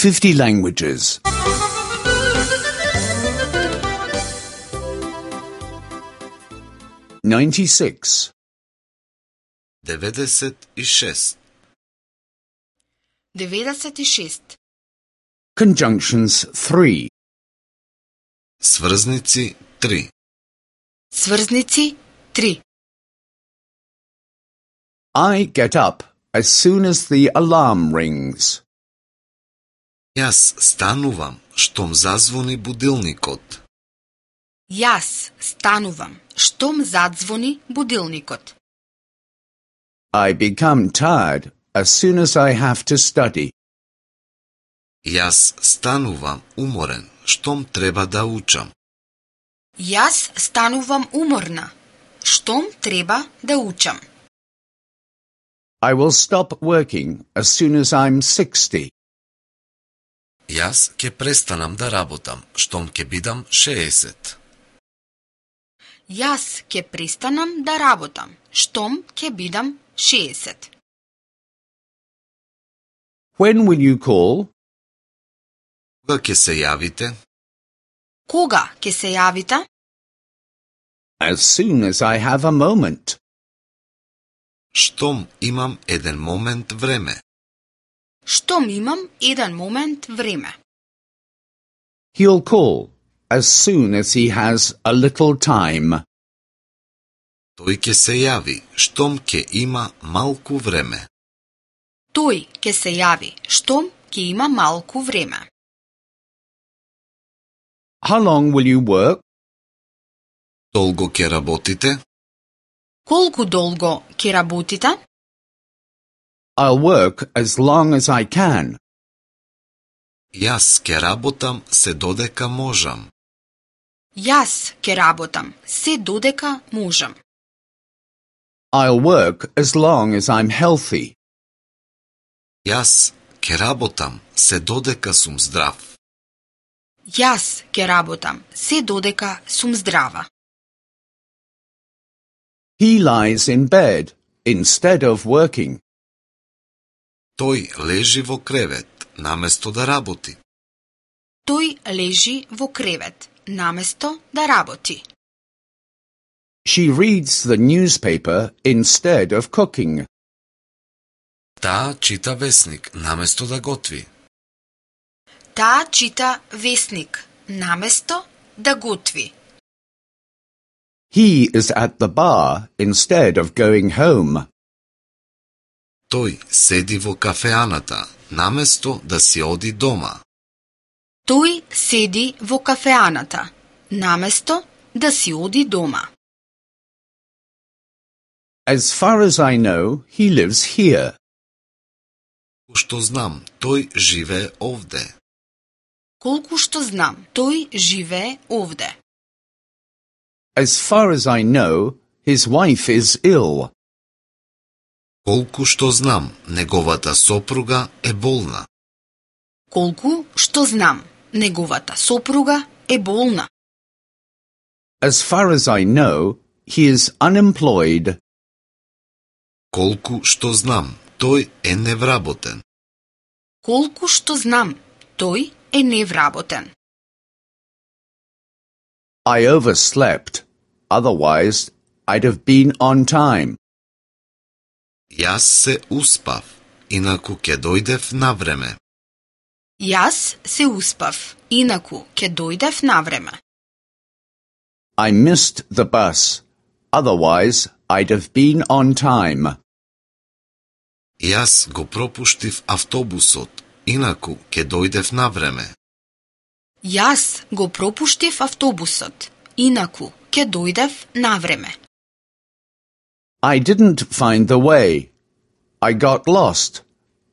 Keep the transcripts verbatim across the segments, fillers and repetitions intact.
fifty languages. ninety-six. деветдесет и шест. деветдесет и шест. Conjunctions three. Сврзници три. Сврзници три. I get up as soon as the alarm rings. Јас станувам штом зазвони будилникот. Јас станувам штом задзвони будилникот. I become tired as soon as I have to study. Јас станувам уморен штом треба да учам. Јас станувам уморна штом треба да учам. I will stop working as soon as I'm sixty. Јас ќе престанам да работам штом ќе бидам шеесет. Јас ќе престанам да работам штом ќе бидам шеесет. When will you call? Кога ќе се јавите? Кога ќе се јавите? As soon as I have a moment. Штом имам еден момент време. Штом имам еден момент време. He'll call as soon as he has a little time. Тој ќе се јави штом ќе има малку време. Тој ќе се јави штом ќе има малку време. How long will you work? Долго ќе работите? Колку долго ќе работите? I'll work as long as I can. Јас ќе работам се додека можам. Јас ќе работам се додека можам. I'll work as long as I'm healthy. Јас ќе работам се додека сум здрав. Јас ќе работам се додека сум здрава. He lies in bed instead of working. Тој лежи во кревет наместо да работи. Тој лежи во кревет наместо да работи. She reads the newspaper instead of cooking. Таа чита весник наместо да готви. Таа чита весник наместо да готви. He is at the bar instead of going home. Тој седи во кафеаната наместо да си оди дома. Тој седи во кафеаната наместо да си оди дома. As far as I know, he lives here. Што знам, тој живее овде. Колку што знам, тој живее овде. As far as I know, his wife is ill. Колку што знам, неговата сопруга е болна. Колку што знам, неговата сопруга е болна. As far as I know, he is unemployed. Колку што знам, тој е невработен. Колку што знам, тој е невработен. I overslept. Otherwise, I'd have been on time. Јас се успав, инаку ќе дојдев на време. Јас се успав, инаку ќе дојдев на време. I missed the bus. Otherwise, I'd have been on time. Јас го пропуштив автобусот, инаку ќе дојдев на време. Јас го пропуштив автобусот, инаку ќе дојдев на време. I didn't find the way. I got lost.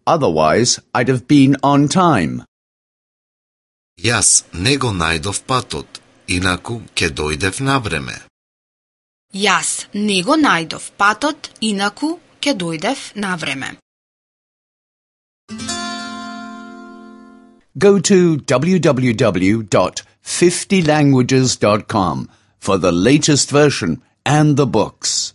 Otherwise, I'd have been on time. Јас не го најдов патот, инаку ќе дојдев на време. Јас не го најдов патот, инаку ќе дојдев на време. Go to w w w dot fifty languages dot com for the latest version and the books.